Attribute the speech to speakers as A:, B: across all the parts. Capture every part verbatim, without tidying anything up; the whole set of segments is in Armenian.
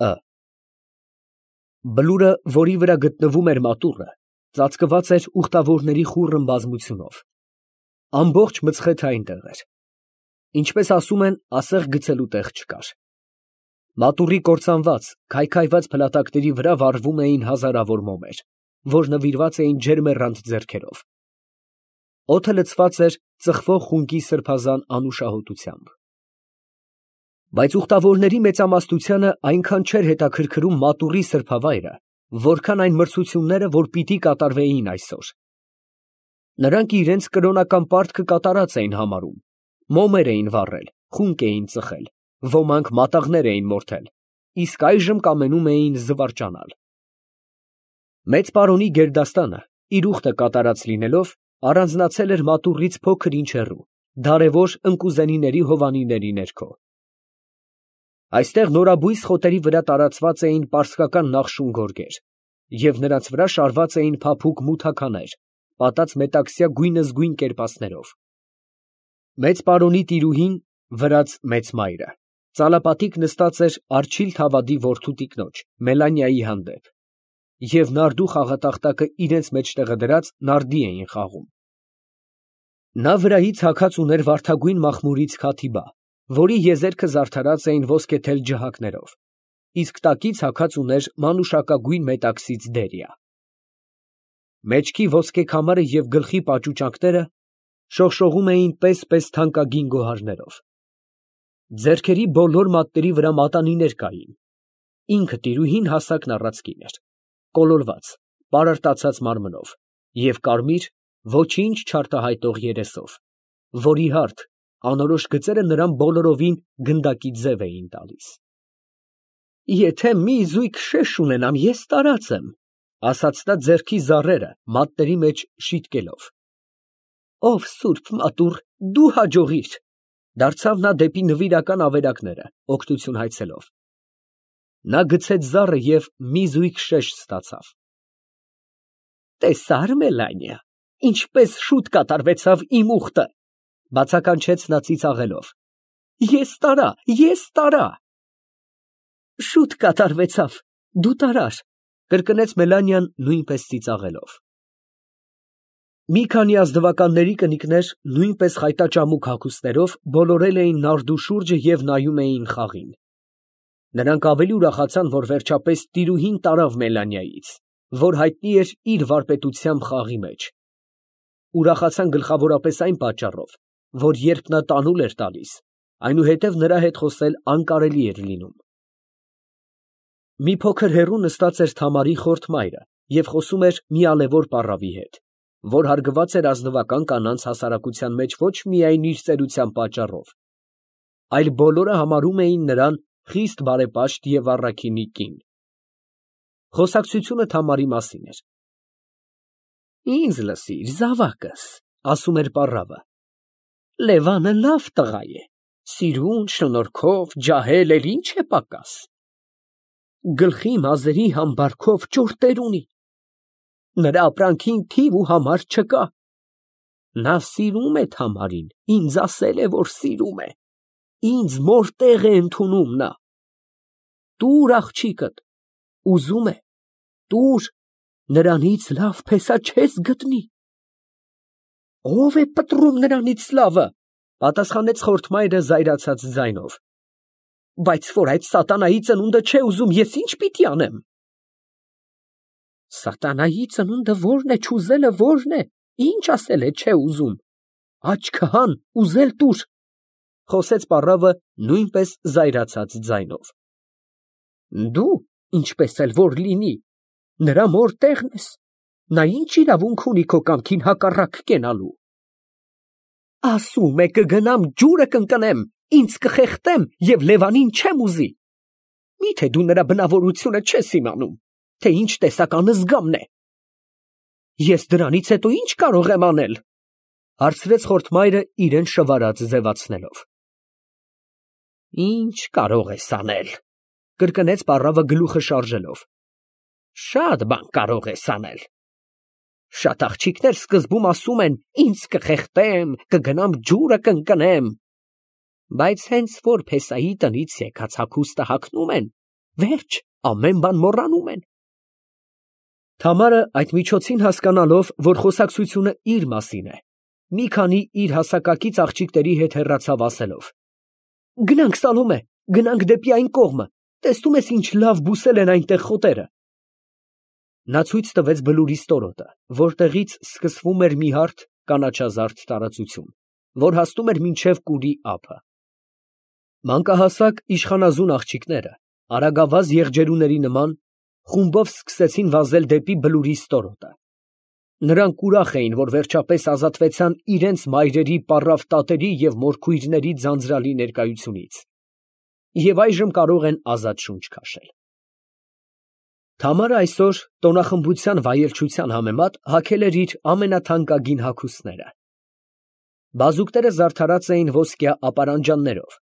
A: Ը Բլուրը, որի վրա գտնվում էր մատուռը, ծածկված էր ուխտավորների խուռն բազմությունով. ամբողջ մցխեթը այնտեղ էր. ինչպես ասում են, ասեղ գցելու տեղ չկար. մատուռի կործանված, քայքայված փլատակների վրա վառվում էին հազարավոր մոմեր, որ նվիրված էին ջերմեռանդ ձեռքերով. օդը լցված էր ծխվող խունկի սրբազան անուշահոտությամբ։ Բայց ուխտավորների մեծամասնությանը այնքան չէր հետաքրքրում մատուռի սրբավայրը, որքան այն մրցությունները, որ պիտի կատարվեին այսօր։ Նրանք իրենց կրոնական պարտքը կատարած էին համարում, մոմեր էին վառել, խունկ էին ծխել, ոմանք մատաղներ էին մորթել, իսկ այժմ կամենում էին զվարճանալ։ Մեծ պարոնի գերդաստանը, իր ուխտը կատարած լինելով, առանձնացել էր մատուռից փոքր ինչ հեռու, դարևոր ընկուզենիների հովանիների ներքո։ Այստեղ նորաբույս խոտերի վրա տարածված էին պարսկական նախշուն գորգեր, և նրանց վրա շարված էին փափուկ մութաքաներ, պատած մետաքսյա գույնզգույն կերպասներով։ Մեծ պարոնի տիրուհին, վրաց մեծ մայրը, ծալապատիկ նստած էր Արջիլ Թավադի որդու տիկնոջ Մելանիայի հանդեպ, և նարդու խաղատախտակը իրենց մեջտեղը դրած նարդի էին խաղում։ Նա վրայից հագած ուներ վարդագույն մախմուրից քաթիբա, որի եզերքը զարդարած էին ոսկեթել ջհակներով, իսկ տակից հագած ուներ մանուշակագույն մետաքսից դերիա։ Մեջքի ոսկե քամարը և գլխի պաճուճանքները շողշողում էին պես֊պես թանկագին գոհարներով։ Ձեռքերի բոլոր մատների վրա մատանիներ կային։ Ինքը տիրուհին հասակն առած կին էր, կոլորված, պարարտացած մարմնով և կարմիր, ոչինչ չարտահայտող երեսով, որի հարթ, անորոշ գծերը նրան բոլորովին գնդակի ձև էին տալիս։ «Եթե մի զույգ շեշ ունենամ, ես տարած եմ», ֊ ասաց նա ձեռքի զառերը մատների մեջ շիտկելով։ «Ով սուրբ մատուռ, դու հաջողիր», ֊ դարձավ նա դեպի նվիրական ավերակները, օգնություն հայցելով։ Նա գցեց զառը և մի զույգ շեշ ստացավ։ «Տեսա՞ր, Մելանիա, ինչպես շուտ կատարվեցավ իմ ուխտը», ֊ բացականչեց նա ծիծաղելով։ «Ես տարա, ես տարա»։ «Շուտ կատարվեցավ, դու տարար», ֊ կրկնեց Մելանիան նույնպես ծիծաղելով։ Մի քանի ազնվականների կնիկներ, նույնպես խայտաճամուկ հագուստներով, բոլորել էին նարդու շուրջը և նայում էին խաղին։ Նրանք ավելի ուրախացան, որ վերջապես տիրուհին տարավ Մելանիայից, որ հայտնի էր իր վարպետությամբ խաղի մեջ։ Ուրախացան գլխավորապես այն պատճառով, որ երբ նա տանուլ էր տալիս, այնուհետև նրա հետ խոսել անկարելի էր լինում։ Մի փոքր հեռու նստած էր Թամարի խորթ մայրը և խոսում էր մի ալևոր պառավի հետ, որ հարգված էր ազնվական կանանց հասարակության մեջ ոչ միայն իր ծերության պատճառով, այլ բոլորը համարում էին նրան խիստ բարեպաշտ և առաքինի կին։ Խոսակցությունը Թամարի մասին էր։ «Ինձ լսիր, զավակս», ֊ ասում էր պառավը, «Լևանը լավ տղա է, սիրուն, շնորհքով, ջահել, էլ ինչ է պակաս։ Գլխի մազերի համբարքով ճորտեր ունի, նրա ապրանքին թիվ ու համար չկա։ Նա սիրում է Թամարին, ինձ ասել է, որ սիրում է, ինձ մոր տեղ է ընդունում նա։ Տուր աղջիկդ, ուզում է, տուր, նրանից լավ փեսա չես գտնի»։ «Ո՞վ է պտռում նրանից լավը», ֊ պատասխանեց խորթ մայրը զայրացած ձայնով։ «Բայց որ այդ սատանայի ծնունդը չէ ուզում, ես ի՞նչ պիտի անեմ»։ «Սատանայի ծնունդը ո՞րն է, չուզելը ո՞րն է, ի՞նչ ասել է չէ ուզում, աչքը հան, ուզել տուր», ֊ խոսեց պառավը նույնպես զայրացած ձայնով։ «Դու, ինչպես էլ որ լինի, նրա մոր տեղն ես, նա ի՞նչ իրավունք ունի քո կամքին հակառակ կենալու»։ «Ասում է կգնամ ջուրը կընկնեմ, ինձ կխեղդեմ և Լևանին չեմ ուզի։ Մի՞թե դու նրա բնավորությունը չես իմանում, թե ինչ տեսական զգամն է։ Ես դրանից հետո ի՞նչ կարող եմ անել», ֊ հարցրեց խորթ մայրը իրան շվարած ձևացնելով։ «Ի՞նչ կարող ես անել», ֊ կրկնեց պառավը գլուխը շարժելով։ «Շատ բան կարող ես անել։ Շատ աղջիկներ սկզբում ասում են, ինձ կխեղդեմ, կգնամ ջուրը կընկնեմ, բայց հենց որ փեսայի տնից եկած հագուստը հագնում են, Վերջ, ամեն բան մոռանում են։ Թամարը այդ միջոցին հասկանալով, որ խոսակցությունը իր մասին է, մի քանի իր հասակակից աղջիկների հետ հեռացավ ասելով. Գնանք, Սալոմե, գնանք դեպի այն կողմը, տեսնում ես ինչ լավ բուսել են այնտեղ խոտերը։ Նա ցույց տվեց բլուրի ստորոտը, որտեղից սկսվում էր մի հարթ կանաչազարդ տարածություն, որ հասնում էր մինչև կուրի ափը։ Մանկահասակ իշխանազուն աղջիկները, արագավազ եղջերուների նման, խումբով սկսեցին վազել դեպի բլուրի ստորոտը։ Նրանք ուրախ էին, որ վերջապես ազատվեցան իրենց մայրերի պառավ տատերի և մորքույրների ձանձրալի ներկայությունից և այժմ կարող են ազատ շունչ քաշել։ Թամարը այսօր տոնախմբության վայելչության համեմատ հագել էր իր ամենաթանկագին հագուստները։ Բազուկները զարդարած էին ոսկյա ապարանջաններով,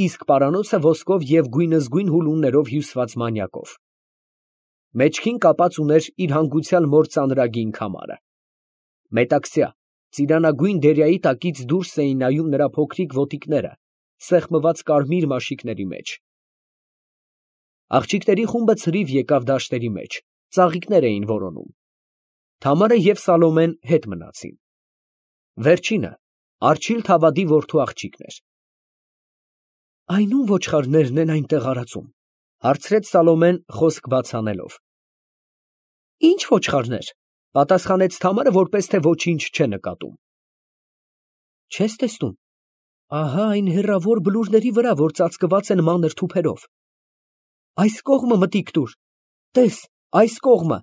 A: իսկ պարանոցը ոսկով և գույնզգույն հուլումներով հյուսված մանյակով։ Մեջքին կապած ուներ իր հանգուցյալ մոր ծանրագին քամարը։ Մետաքսյա, ծիրանագույն դերյայի տակից դուրս էին նայում նրա փոքրիկ ոտիկները, սեղմված կարմիր մաշիկների մեջ։ Աղջիկների խումբը ցրիվ եկավ դաշտերի մեջ, ծաղիկներ էին որոնում։ Թամարը և Սալոմեն հետ մնացին։ Վերջինը Արջիլ Թավադի որդու աղջիկն էր։ Այն ո՞ւմ ոչխարներն են այնտեղ արածում, հարցրեց Սալոմեն խոսք բաց անելով։ Ի՞նչ ոչխարներ, պատասխանեց Թամարը, որպես թե ոչինչ չէ նկատում։ Չես տեսնում, ահա այն հեռավոր բլուրների վրա, որ ծածկված են մանր թուփերով։ Այս կողմը մտիկ տուր, տես, այս կողմը,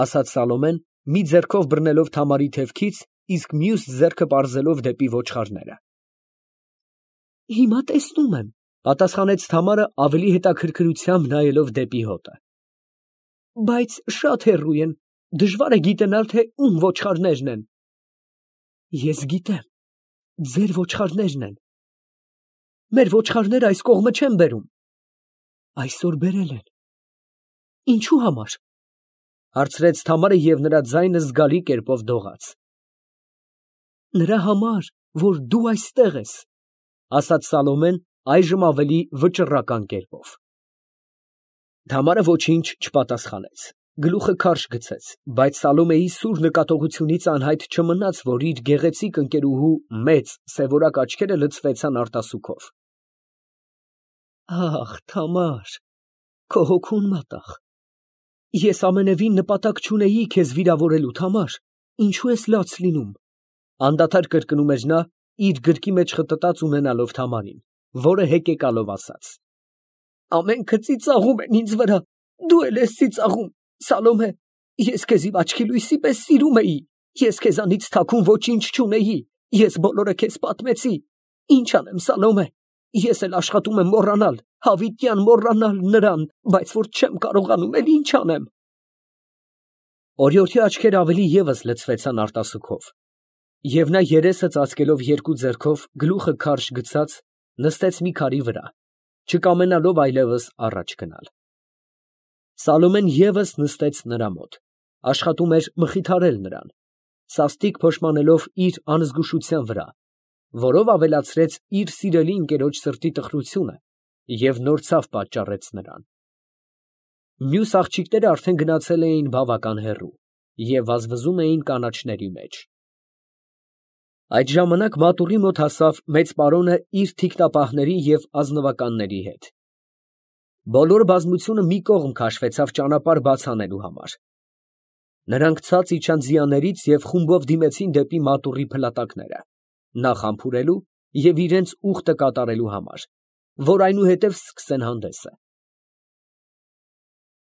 A: ասաց Սալոմեն, մի ձեռքով բռնելով Թամարի թևքից, իսկ մյուս ձեռքը պարզելով դեպի ոչխարները։ Հիմա տեսնում եմ, պատասխանեց Թամարը ավելի հետաքրքրությամբ նայելով դեպի հոտը։ Բայց շատ հեռու են, դժվար է գիտենալ, թե ում ոչխարներն են։ Ես գիտեմ, ձեր ոչխարներն են։ Մեր ոչխարները այս կողմը չեն բերում։ Այսօր բերել են։ Ինչու համար, հարցրեց Թամարը և նրա ձայնը զգալի կերպով դողաց։ Նրա համար, որ դու այստեղ ես, ասաց Սալոմեն այժմ ավելի վճռական կերպով։ Թամարը ոչինչ չպատասխանեց, գլուխը քարշ գցեց, բայց Սալոմեի սուր նկատողությունից անհայտ չմնաց, որ իր գեղեցիկ ընկերուհու մեծ սևորակ աչքերը լցվեցան արտասուքով։ Ախ, Թամար, քո հոգուն մատաղ։ Ես ամենևին նպատակ չունեի քեզ վիրավորելու, Թամար, ինչու ես լաց լինում, անդադար կրկնում էր նա, իր գրկի մեջ խտտած ունենալով Թամարին, որը հեկեկալով ասաց. Ամենքը ծիծաղում են ինձ վրա, դու էլ ես ծիծաղում, Սալոմե, ես քեզ իմ աչքի լույսի պես սիրում էի, ես քեզանից թաքուն ոչինչ չունեի, ես բոլորը քեզ պատմեցի, ինչ անեմ, Սալոմե, ես էլ աշխատում եմ մոռանալ, հավիտյան մոռանալ նրան, բայց որ չեմ կարողանում, էլ ինչ անեմ։ Օրիորդի աչքերը ավելի ևս լցվեցան արտասուքով, և նա երեսը ծածկելով երկու ձեռքով, գլուխը քարշ գցած, նստեց մի քարի վրա, չկամենալով այլևս առաջ գնալ։ Սալոմեն ևս նստեց նրա մոտ, աշխատում էր մխիթարել նրան, սաստիկ փոշմանելով իր անզգուշության վրա, որով ավելացրեց իր սիրելի ընկերոջ սրտի տխրությունը և նոր ցավ պատճառեց նրան։ Մյուս աղջիկները արդեն գնացել էին բավական հեռու և վազվզում էին կանաչների մեջ։ Այդ ժամանակ մատուռի մոտ հասավ մեծ պարոնը իր թիկնապահների և ազնվականների հետ։ Բոլոր բազմությունը մի կողմ քաշվեցավ ճանապարհ բաց անելու համար։ Նրանք ցած իջան ձիաներից և խումբով դիմեցին դեպի մատուռի փլատակները, նախ համբուրելու և իրենց ուխտը կատարելու համար, որ այնուհետև սկսեն հանդեսը։